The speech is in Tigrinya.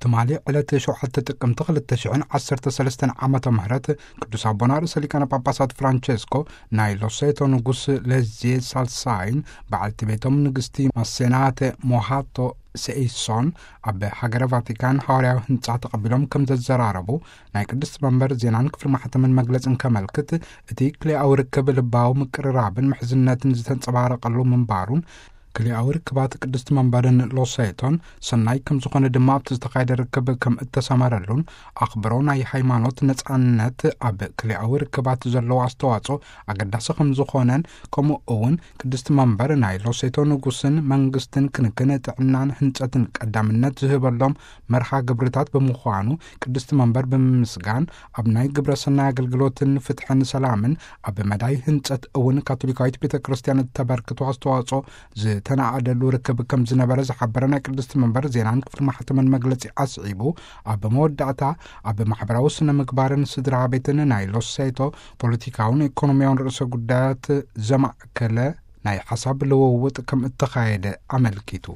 ትማሊ ዕለት ሸውዓተ ጥቅምቲ ክልተ ሽሕን ዓሰርተ ሰለስተን ዓመተ ምህረት ቅዱስ ኣቦና ርእሰ ሊቃነ ጳጳሳት ፍራንቸስኮ ናይ ሎሴቶ ንጉስ ለዜ ሳልሳይን በዓልቲ ቤቶም ንግስቲ ማሴናተ ሞሃቶ ሴኢሶን ኣብ ሃገረ ቫቲካን ሃዋርያዊ ህንጻ ተቐቢሎም ከም ዘዘራረቡ ናይ ቅድስቲ መንበር ዜናን ክፍሊ ማሕተምን መግለጽን ከመልክት፣ እቲ ክልኤኣዊ ርክብ ልባዊ ምቅርራብን ምሕዝነትን ዝተንጸባረቐሉ ምንባሩን፣ ክልኤኣዊ ርክባት ቅድስቲ መንበርን ሎሴቶን ሰናይ ከም ዝኾነ ድማ ኣብቲ ዝተኻየደ ርክብ ከም እተሰመረሉን ኣኽብሮ ናይ ሃይማኖት ነጻነት ኣብ ክልኤኣዊ ርክባት ዘለዎ ኣስተዋጽኦ ኣገዳሲ ከም ዝኾነን፣ ከምኡ እውን ቅድስቲ መንበር ናይ ሎሴቶ ንጉስን መንግስትን ክንክን ጥዕናን ህንጸትን ቀዳምነት ዝህበሎም መርሃ ግብርታት ብምዃኑ ቅድስቲ መንበር ብምምስጋን፣ ኣብ ናይ ግብረ ሰናይ ኣገልግሎትን ፍትሕን ሰላምን ኣብ መዳይ ህንጸት እውን ካቶሊካዊት ቤተ ክርስቲያን እተበርክቶ ኣስተዋጽኦ ዝተናኣደሉ ርክብ ከም ዝነበረ ዝሓበረ ናይ ቅድስቲ መንበር ዜናን ክፍሊ ማሕተምን መግለጺ ኣስዒቡ፣ ኣብ መወዳእታ ኣብ ማሕበራዊ ስነ ምግባርን ስድራ ቤትን ናይ ሎሴቶ ፖለቲካውን ኢኮኖሚያውን ርእሰ ጉዳያት ዘማእከለ ናይ ሓሳብ ልውውጥ ከም እተኻየደ ኣመልኪቱ።